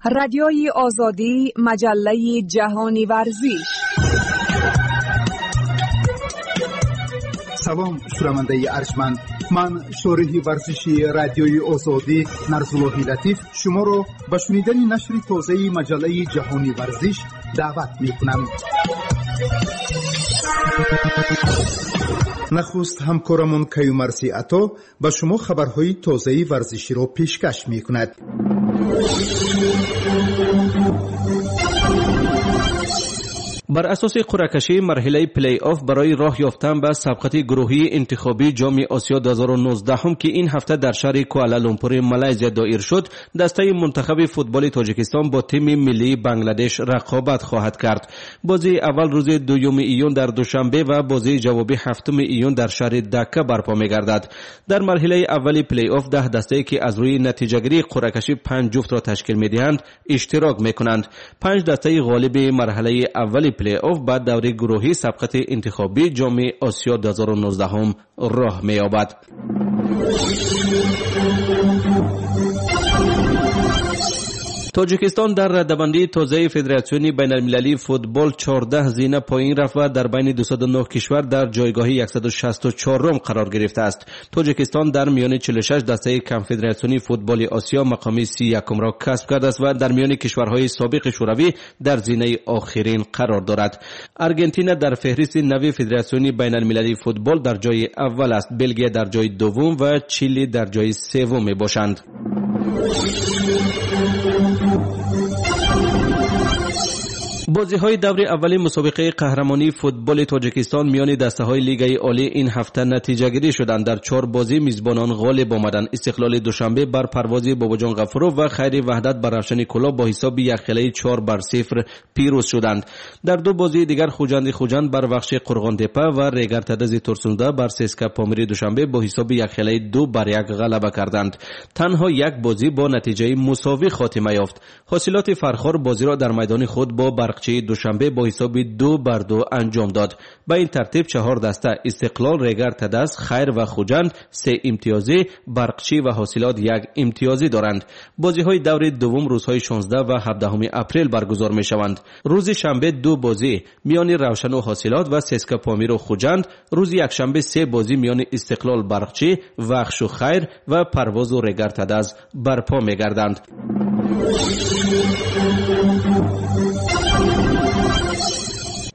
Радиои Озодӣ, маҷаллаи ҷаҳони варзиш. Салом, шунавандаи арҷманд. Ман шориҳи варзиши Радиои Озодӣ Нарзуллоҳи Латиф шуморо ба шунидани нашри тозаи маҷаллаи ҷаҳони варзиш даъват мекунам. Нахуст ҳамкорамон Каюмарси Ато ба шумо хабарҳои тозаи варзиширо пешкаш мекунад. Бар асоси қуръакашии марҳилаи плей-офф барои роҳ ёфтан ба сабқати гурӯҳии интихобии Ҷоми Осиё 2019, ки ин ҳафта дар шаҳри Куала-Лумпури Малайзия доир шуд, дастаи мунтахаби футболи Тоҷикистон бо тими миллии Бангладеш рақобат хоҳад кард. Бозии аввал рӯзи 2 июн дар Душанбе ва бозии ҷавобӣ 7 июн дар шаҳри Дакка барпо мегардад. Дар марҳилаи аввали плей-офф 10 дастае, ки аз рӯи натиҷагирии қуръакашӣ 5 ҷуфтро ташкил медиҳанд, иштирок мекунанд. 5 дастаи ғолиби марҳилаи аввали плей-офф ба даври гурӯҳии сабқати интихобии Ҷоми Осиё 2019 роҳ меёбад. Тоҷикистон дар радабандии тозаи Федератсиони байналмилалии футбол 14 зина поин рафт ва дар байни 209 кишвар дар ҷойгоҳи 164 қарор гирифтааст. Тоҷикистон дар миёни 46 дастаи Конфедератсиони футболи Осиё мақоми 31-ро касб кардааст ва дар миёни кишварҳои собиқи Шӯравӣ дар зинаи охирин қарор дорад. Аргентина дар феҳристи нави Федератсиони байналмилалии футбол дар ҷои аввал аст, Белгия дар ҷои дуввум ва Чили дар ҷои севум мебошанд. Бозиҳои даври аввали мусобиқаи қаҳрамонии футболи Тоҷикистон миёни дастаҳои Лигаи Олӣ ин ҳафта натиҷагирӣ шуданд. Дар 4 бозӣ мизбонон ғолиб омаданд. Истиқлоли Душанбе бар Парвози Бобоҷон Ғафуров ва Хайри Ваҳдат бар Равшани Кӯлоб бо ҳисоби якхелаи 4-0 пирӯз шуданд. Дар 2 бозии дигар Хуҷанди Хуҷанд бар Вахши Қурғонтепа ва Регар Тадази Турсунзода бар ССК Помири Душанбе бо ҳисоби якхелаи 2-1 ғалаба карданд. Танҳо як бозӣ бо натиҷаи мусовӣ хотима ёфт. Ҳосилоти Фархор бозиро дар майдони худ бо Барқчии Душанбе бо ҳисоби 2-2 анҷом дод. Ба ин тартиб 4 даста Истиқлол, Регар Тадаз, Хайр ва Хуҷанд 3 имтиёзӣ, Барқчӣ ва Ҳосилот 1 имтиёзӣ доранд. Бозиҳои даври дуввум рӯзҳои 16 ва 17 апрел баргузор мешаванд. Рӯзи шанбе 2 бозӣ миёни Равшану Ҳосилот ва ССК Помиру Хуҷанд, рӯзи якшанбе 3 бозӣ миёни Истиқлол Барқчӣ, Вахшу Хайр ва Парвозу Регар Тадаз барпо мегарданд.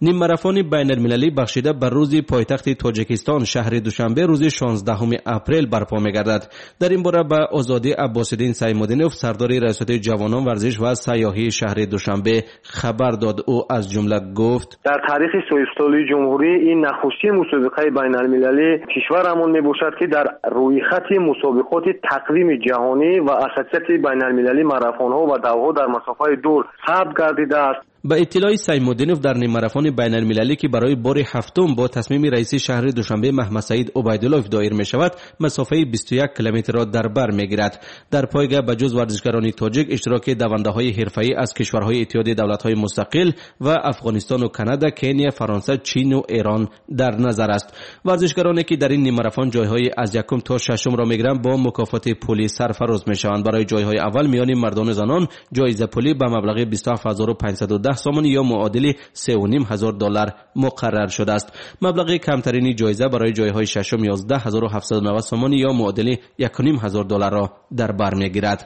Ниммарафони байналмилалӣ бахшида ба рӯзи пойтахти Тоҷикистон шаҳри Душанбе рӯзи 16 апрел барпо мегардад. Дар ин бора ба Озодӣ Аббосиддин Саймуддинов, сардори раёсати ҷавонон, варзиш ва сайёҳии шаҳри Душанбе хабар дод. Ӯ аз ҷумла гуфт: дар таърихи соҳибистиқлолии ҷумҳурӣ ин нахустин мусобиқаи байналмилалии кишварамон мебошад, ки дар рӯйхати мусобиқоти тақвими ҷаҳонӣ ва ассотсиатсияи байналмилалии марафонҳо ва давҳо дар масофаи дур сабт гардидааст. Ба иттилои Саймуддинов дар ниммарафони байналмилалӣ, ки барои бори ҳафтум бо тасмими раиси шаҳри Душанбе Маҳмадсаид Убайдуллоев доир мешавад, масофаи 21 километрро дар бар мегирад. Дар пойга ба ҷуз варзишгарони тоҷик иштироки давандаҳои ҳирфаӣ аз кишварҳои Иттиҳоди давлатҳои мустақил ва Афғонистону Канада, Кения, Фаронса, Чину Эрон дар назар аст. Варзишгароне, ки дар ин ниммарафон ҷойҳои аз якум то шашумро мегиранд, бо мукофоти пулӣ сарфароз мешаванд. Барои ҷойҳои аввал миёни мардону занон ҷоиза пулӣ ба маблағи 27510 сомонӣ ё муодили $3,500 муқаррар шудааст. Маблағи камтарини ҷоиза барои ҷойҳои шашум 11790 сомонӣ ё муодили $1,500 дар бар мегирад.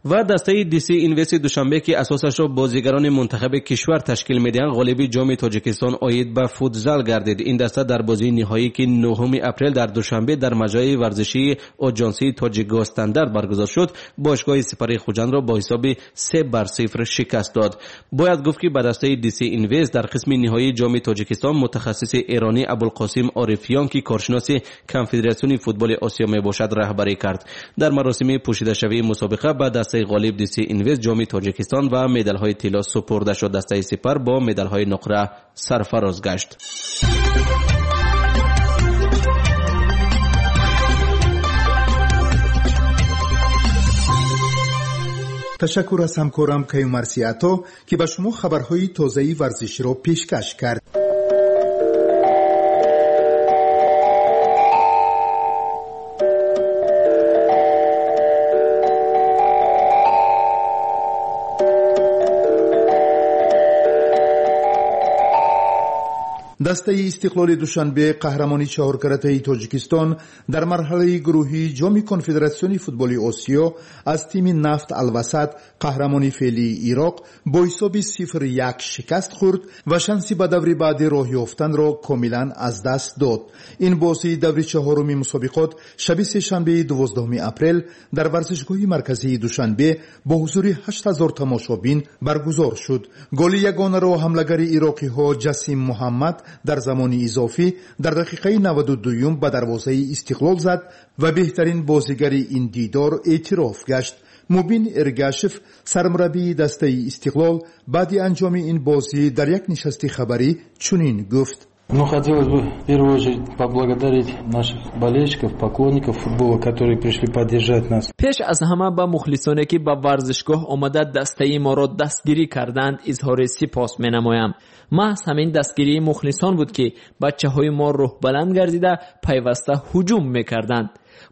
Ва дастаи DC Invest Душанбе, ки асосашро бозигарони мунтахаби кишвар ташкил медиҳанд, ғолиби Ҷоми Тоҷикистон оид ба футзал гардид. Ин даста дар бозии ниҳоӣ, ки 9 апрел дар Душанбе дар маҷраи варзишии Оҷонсии Тоҷикгосстандарт баргузор шуд, бошгоҳи Сипари Хуҷандро бо ҳисоби 3-0 шикаст дод. Бояд гуфт, ки ба дастаи DC Invest дар қисми ниҳоии Ҷоми Тоҷикистон мутахассиси эронӣ Абулқосим Орифиён, ки коршиноси Конфедератсиони футболи Осиё мебошад, раҳбарӣ кард. Дар маросими пӯшидашавии мусобиқа ба дастаи ғолиб DC Invest Ҷоми Тоҷикистон ва медалҳои тилло супурда шуд. Дастаи Сипар бо медалҳои нуқра сарфароз гашт. Ташаккур аз ҳамкорам Каюмарси Ато, ки ба шумо хабарҳои тозаи варзиширо пешкаш кард. Дастаи Истиқлоли Душанбе, қаҳрамони чаҳоркаратаи Тоҷикистон, дар марҳалаи гурӯҳии Ҷоми Конфедератсиони футболи Осиё аз тими Нафт Алвасат, қаҳрамони феълии Ироқ, бо ҳисоби 0-1 шикаст хӯрд ва шанси ба даври баъдӣ роҳ ёфтанро комилан аз даст дод. Ин бозии даври чаҳоруми мусобиқот шаби сешанбеи 12 апрел дар варзишгоҳи марказии Душанбе бо ҳузури 8000 тамошобин баргузор шуд. Голи ягонаро ҳамлагари ироқиҳо Ҷасим Муҳаммад дар замони изофӣ дар дақиқаи 92-юм ба дарвозаи Истиқлол зад ва беҳтарин бозигари ин дидор эътироф гашт. Мубин Эргашев, сармураббии дастаи Истиқлол, баъди анҷоми ин бозӣ дар як нишасти хабарӣ чунин гуфт: Ну, хотелось бы в первую очередь поблагодарить наших болельщиков, поклонников футбола, которые пришли поддержать нас. Пеш аз ҳама ба мухлисоне, ки ба варзишгоҳ омада дастаи моро дастгирӣ карданд, изҳори сипос менамоям. Маҳз ҳамин дастгирии мухлисон буд, ки бачаҳои мо рӯҳбаланд гардида пайваста ҳуҷум мекарданд.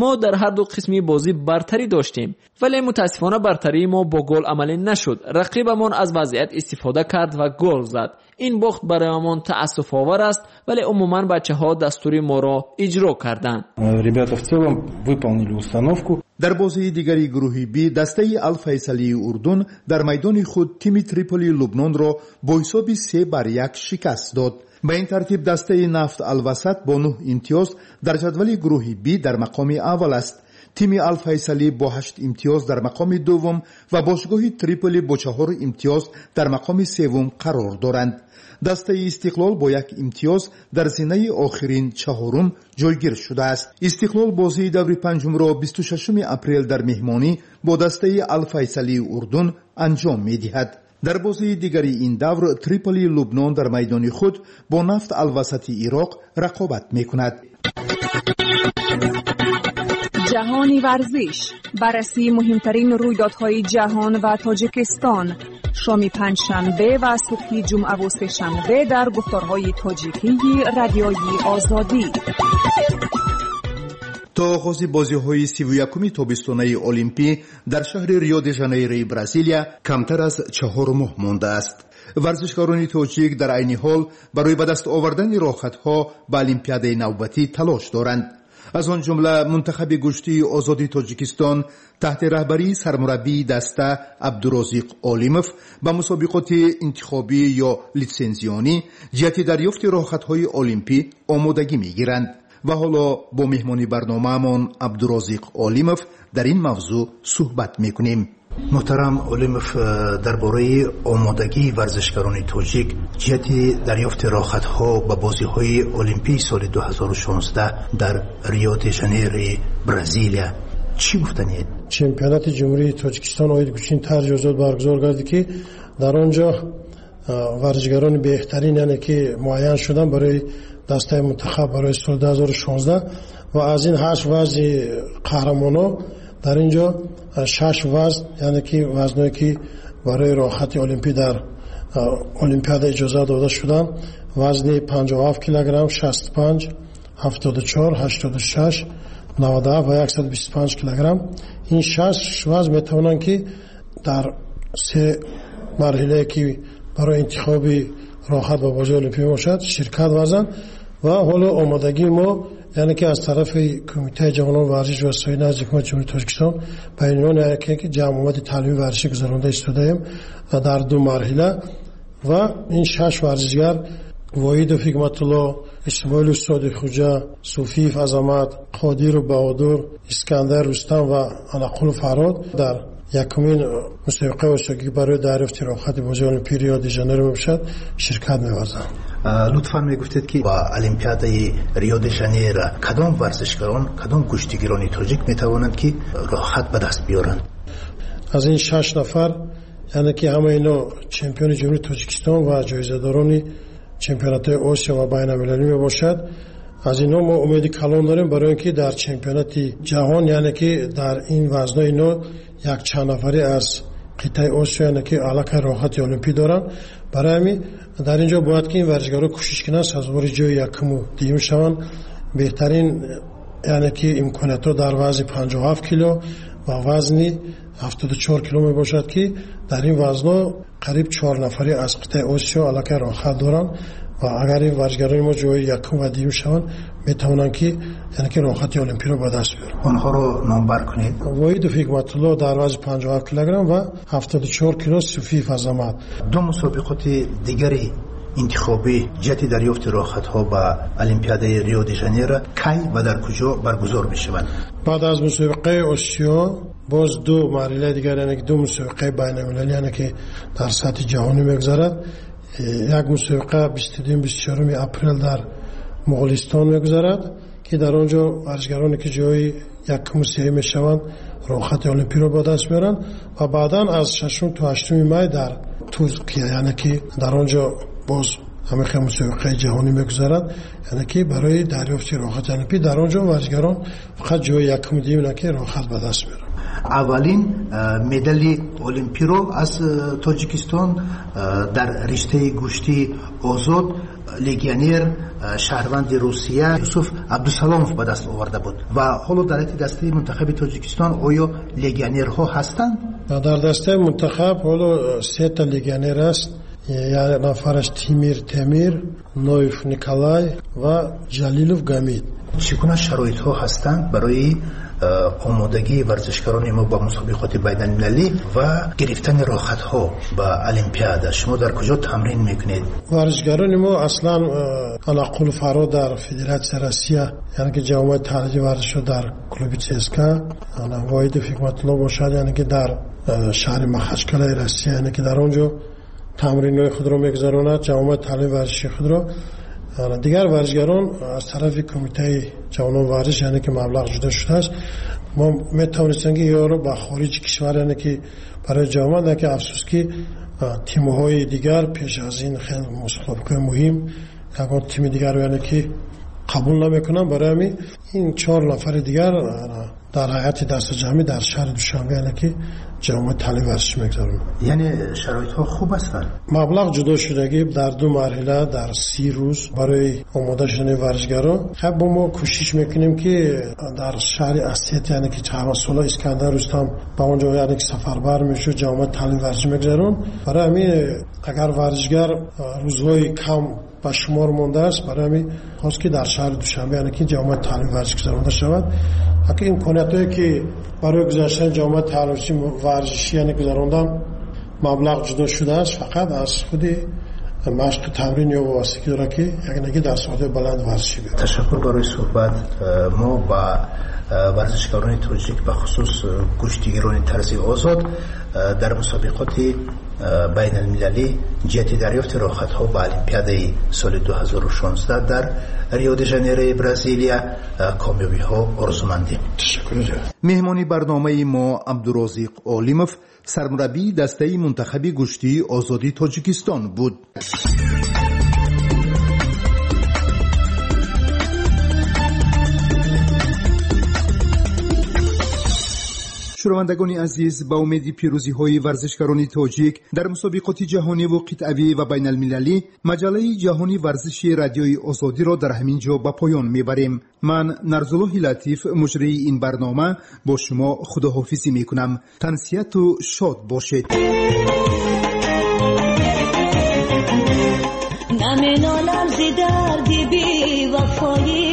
Мо дар ҳар ду қисми бозӣ бартарӣ доштем, вале мутаассифона бартарии мо бо гол амалӣ нашуд. Рақибамон аз вазъият истифода кард ва гол зад. Ин бохт бароямон таассуфовар аст, вале умуман бачаҳо дастури моро иҷро карданд. Ребята в целом выполнили установку. Дар бозии дигари гурӯҳи Би дастаи Алфайсалии Урдун дар майдони худ тими Триполии Лубнонро бо ҳисоби 3-1 шикаст дод. Ба ин тартиб дастаи Нафт Алвасат бо 9 имтиёз дар ҷадвали гурӯҳи Би дар мақоми аввал аст. Тими Алфайсалӣ бо 8 имтиёз дар мақоми дуввум ва бошгоҳи Триполи бо 4 имтиёз дар мақоми севум қарор доранд. Дастаи Истиқлол бо як имтиёз дар зинаи охирин, чаҳорум ҷойгир шудааст. Истиқлол бозии даври панҷумро 26 апрел дар меҳмонӣ бо дастаи Алфайсалии Урдун анҷом медиҳад. Дар бозии дигари ин давр Триполии Лубнон дар майдони худ бо Нафт Алвасати Ироқ рақобат мекунад. Ҷаҳони варзиш, баррасии муҳимтарин рӯйдодҳои ҷаҳон ва Тоҷикистон, шоми панҷшанбе ва субҳи ҷумъаву сешанбе дар гуфторҳои тоҷикии Радиои Озодӣ. То оғози бозиҳои 31-уми тобистонаи Олимпӣ дар шаҳри Рио де Жанейрои Бразилия камтар аз 4 моҳ мондааст. Варзишгарони тоҷик дар айни ҳол барои ба даст овардани роҳхатҳо ба олимпиадаи навбатӣ талош доранд. Аз он ҷумла мунтахаби гӯштии озоди Тоҷикистон таҳти раҳбарии сармураббии даста Абдурозиқ Олимов ба мусобиқоти интихобӣ ё литсензионӣ ҷиҳати дарёфти роҳхатҳои олимпӣ омодагӣ мегиранд. Ва ҳоло бо меҳмони барномаамон Абдурозиқ Олимов дар ин мавзӯъ суҳбат мекунем. Муҳтарам Олимов, дар бораи омодагии варзишгарони тоҷик ҷиҳати дарёфти роҳхатҳо ба бозиҳои олимпии соли 2016 дар Рио де Жанейрои Бразилия чӣ гуфтаниед? Чемпионати Ҷумҳурии Тоҷикистон оид гӯштини тарзи озод баргузор гардид, ки дар он ҷо варзишгарони беҳтарин, яъне ки муайян шуданд барои дастаи мунтахаб барои соли 2016, ва аз ин ҳашт вазни қаҳрамонҳо дар ин ҷо шаш вазн, яъне ки вазное ки барои роҳхати олимпӣ дар олимпиада иҷоза дода шуданд, вазни 57 килограмм, 65, 74, 86, 97 ва 125 килограмм. Ин шаш вазн метавонанд, ки дар се марҳилае, ки барои интихоби роҳхат ба бозии олимпӣ мебошад, ширкат варзанд. Ва ҳоло омодагии мо, яъне ки аз тарафи Кумитаи ҷавонон, варзиш ва соҳаи назди Ҳукумати Ҷумҳурии Тоҷикистон ба унвони яке ки ҷамъомади таълимии варзишӣ гузаронда истодаем дар ду марҳила, ва ин шаш варзишгар: Воҳидов Ҳикматулло, Исмоилов Содиқхуҷа, Суфиев Азамат, Қодиров Баҳодур, Искандар Рустам ва Анақулов Фарҳод дар якумин мусобиқаи осиёгӣ барои дарёфти роҳхати бозии олимпии Рио де Жанейро мебошад ширкат меварзанд. Лутфан мегуфтед, ки ба олимпиадаи Рио де Жанейро кадом варзишгарон, кадом гӯштигирони тоҷик метавонанд, ки роҳхат ба даст биёранд? Аз ин шаш нафар, яъне ки ҳамаи ино чемпиони Ҷумҳурии Тоҷикистон ва ҷоизадорони чемпионатҳои Осиё ва байналмилалӣ мебошад. Аз инҳо мо умеди калон дорем, барои ин ки дар чемпионати ҷаҳон, яъне ки дар ин вазнои ино якчанд нафаре аз қитъаи Осиё, яъне ки аллакай роҳхати олимпӣ доранд. Барои ҳамин дар ин ҷо бояд ки ин варзишгарон кӯшиш кунанд, сазовори ҷои якуму дуюм шаванд. Беҳтарин, яъне ки имкониятҳо дар вазни 57 кило ва вазни 74 кило мебошад, ки дар ин вазнҳо қариб чор нафаре аз қитъаи Осиё аллакай роҳхат доранд. Ва агар ин варзишгарони мо ҷои якум ва дуюм шаванд, метавонанд ки яъне ки роҳхати олимпиро ба даст биёранд. Онҳоро номбар кунед. Воҳидов Ҳикматулло дар вазни 57 килограмм ва 74 кило Суфиев Азамат. Ду мусобиқоти дигари интихобӣ ҷиҳати дарёфти роҳхатҳо ба Олимпиадаи Рио де Жанейро кай ва дар куҷо баргузор мешаванд? Баъд аз мусобиқаи Осиё боз ду марҳилаи дигар, яъне ки ду мусобиқаи байналмилалӣ, яъне ки дар сатҳи ҷаҳонӣ мегузарад. Як мусобиқа 22-24 апрел дар Моғулистон мегузарад, ки дар он ҷо варзишгароне ки ҷои якуму сеюм мешаванд, роҳхати олимпиро ба даст меоранд ва баъдан аз 6 то 8 май дар Туркия, яъне ки дар он ҷо боз ҳамин хел мусобиқаи ҷаҳонӣ мегузарад, яъне ки барои дарёфти роҳхати олимпӣ дар он ҷо варзишгарон фақат ҷои якуму дуюм, яъне ки роҳхат ба даст меоранд. Аввалин медали олимпиро аз Тоҷикистон дар риштаи гӯштии озод легионер, шаҳрванди Русия Юсуф Абдусаломов ба даст оварда буд ва ҳоло дар ҳайати дастаи мунтахаби Тоҷикистон оё легионерҳо ҳастанд? Дар дастаи мунтахаб ҳоло сета легионер аст. Як нафараш Тимир Темир, Ноев Николай ва Ҷалилов Гамид. Чӣ гуна шароитҳо ҳастанд барои омодагии варзишгарони мо ба мусобиқоти байналмилалӣ ва гирифтани роҳхатҳо ба Олимпиада? Шумо дар куҷо тамрин мекунед? Варзишгарони мо аслан Алақул Фаро дар Федератсияи Россия, яъне ки ҷамъияти таҳлили варзишҳо дар клуби ЦСКА, Воҳидов Ҳикматулло бошад, яъне ки дар шаҳри Махачкалаи Россия, яъне ки дар он ҷо тамринҳои худро мегузаронад, ҷамъияти таҳлили варзиши худро. Дигар варзишгарон аз тарафи кумитаи ҷавонон варзиш, яъне ки маблағ ҷудо шудааст, мо метавонистем ки ёро ба хориҷи кишвар, яъне ки барои ҷавонон, яъне ки афсӯс ки тимҳои дигар пеш аз ин хеле мусобиқаи муҳим ягон тими дигар, яъне ки қабул намекунанд. Барои ҳамин ин 4 нафари дигар дар ҳайати дастаҷамъӣ дар шаҳри Душанбе, яъне ки ҷамъияти таълими варзишӣ мегузаронанд. Яъне шароитҳо хуб ҳастанд? Маблағ ҷудо шудагӣ дар ду марҳила дар 30 рӯз барои омода шудани варзишгарон. Хуб, мо кӯшиш мекунем ки дар шаҳри Осет, яъне ки ҳамасола Искандар Рустам ба он ҷо, яъне ки сафарбар мешуд, ҷамъияти таълими варзишӣ мегузаронд. Барои ҳамин агар варзишгар рӯзҳои кам ба шумор мондааст, барои ҳамин хост ки дар шаҳри Душанбе, яъне ки ҷамъияти таълими варзишӣ гузаронда шавад. Ҳақи имкониятҳое ки барои гузаштани ҷамъияти таълими варзишӣ, яъне гузарондан маблағ ҷудо шудааст, фақат аз худи машқи тамрин ё вобастагӣ дорад ки яъне ки дар сатҳи баланд варзишӣ биёяд. Ташаккур барои суҳбат. Мо ба варзишгарони тоҷик, ба хусус гӯштигирони тарзи озод дар мусобиқоти байналмилалӣ ҷиҳати дарёфти роҳхатҳо ба Олимпиадаи соли 2016 дар Рио де Жанейрои Бразилия комёбиҳо орзумандем. Ташаккур. Меҳмони барномаи мо Абдурозиқ Олимов, сармураббии дастаи мунтахаби гӯштии озоди Тоҷикистон буд. Шунавандагони азиз, ба умеди пирӯзиҳои варзишгарони тоҷик дар мусобиқоти ҷаҳониву қитъавӣ ва байналмилалӣ, маҷаллаи ҷаҳони варзиши Радиои Озодиро дар ҳамин ҷо ба поён мебарем. Ман Нарзуллоҳи Латиф, муҷрии ин барнома, бо шумо худоҳофизӣ мекунам. Тансиҳату шод бошед. Наменолам зи дарди бевафоӣ,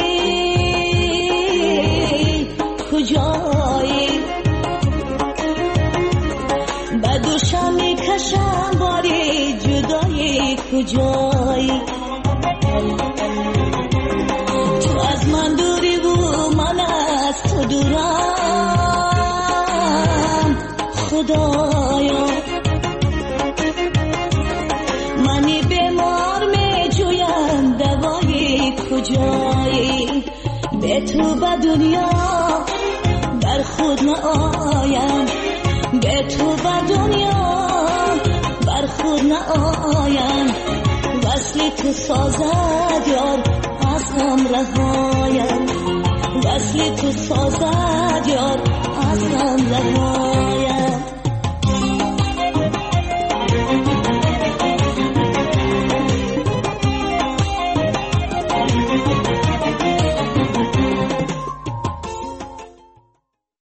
куҷоӣ? Ба душам мекашам бори ҷудоӣ, куҷоӣ? Ту аз ман дуриву ман аз ту дурам, Худоё. Мани бемор меҷӯям давоӣ, куҷоӣ? Бе ту ба дунё бар худ наоям, бе ту ба дунё бар худ наоям. Васли ту созад ёр аз ғам раҳоям, васли ту созад ёр.